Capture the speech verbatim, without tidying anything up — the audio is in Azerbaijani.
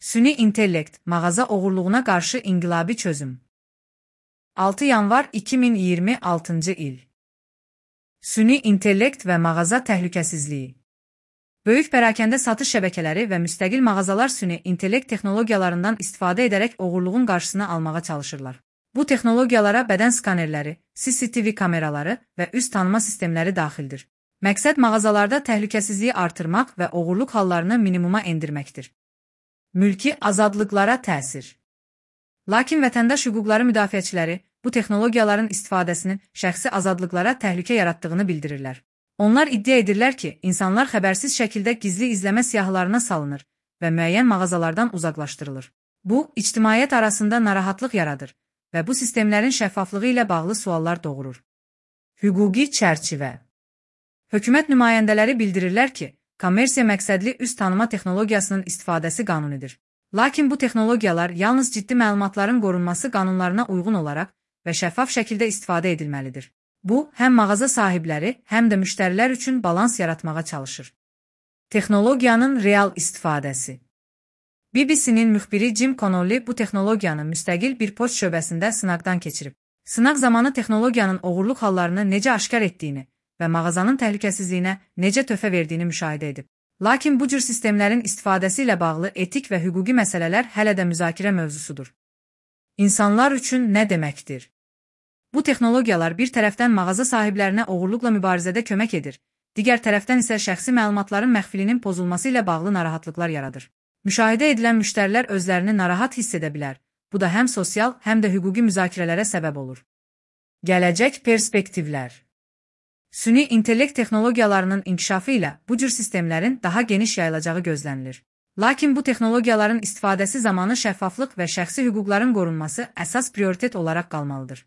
Süni intellekt, mağaza oğurluğuna qarşı inqilabi çözüm. altı yanvar iki min iyirmi altıncı il. Süni intellekt və mağaza təhlükəsizliyi. Böyük pərakəndə satış şəbəkələri və müstəqil mağazalar süni intellekt texnologiyalarından istifadə edərək oğurluğun qarşısını almağa çalışırlar. Bu texnologiyalara bədən skanerləri, C C T V kameraları və üz tanıma sistemləri daxildir. Məqsəd mağazalarda təhlükəsizliyi artırmaq və oğurluq hallarını minimuma endirməkdir. Mülki azadlıqlara təsir. Lakin vətəndaş hüquqları müdafiəçiləri bu texnologiyaların istifadəsinin şəxsi azadlıqlara təhlükə yaratdığını bildirirlər. Onlar iddia edirlər ki, insanlar xəbərsiz şəkildə gizli izləmə siyahılarına salınır və müəyyən mağazalardan uzaqlaşdırılır. Bu, ictimaiyyət arasında narahatlıq yaradır və bu sistemlərin şəffaflığı ilə bağlı suallar doğurur. Hüquqi çərçivə. Hökumət nümayəndələri bildirirlər ki, kommersiya məqsədli üz tanıma texnologiyasının istifadəsi qanunidir. Lakin bu texnologiyalar yalnız ciddi məlumatların qorunması qanunlarına uyğun olaraq və şəffaf şəkildə istifadə edilməlidir. Bu, həm mağaza sahibləri, həm də müştərilər üçün balans yaratmağa çalışır. Texnologiyanın real istifadəsi. B B C-nin müxbiri Jim Connolly bu texnologiyanı müstəqil bir poçt şöbəsində sınaqdan keçirib. Sınaq zamanı texnologiyanın oğurluq hallarını necə aşkar etdiyini və mağazanın təhlükəsizliyinə necə töhfə verdiyini müşahidə edib. Lakin bu cür sistemlərin istifadəsi ilə bağlı etik və hüquqi məsələlər hələ də müzakirə mövzusudur. İnsanlar üçün nə deməkdir? Bu texnologiyalar bir tərəfdən mağaza sahiblərinə oğurluqla mübarizədə kömək edir, digər tərəfdən isə şəxsi məlumatların məxfilinin pozulması ilə bağlı narahatlıqlar yaradır. Müşahidə edilən müştərilər özlərini narahat hiss edə bilər. Bu da həm sosial, həm də hüquqi müzakirələrə səbəb olur. Gələcək perspektivlər. Süni intellekt texnologiyalarının inkişafı ilə bu cür sistemlərin daha geniş yayılacağı gözlənilir. Lakin bu texnologiyaların istifadəsi zamanı şəffaflıq və şəxsi hüquqların qorunması əsas prioritet olaraq qalmalıdır.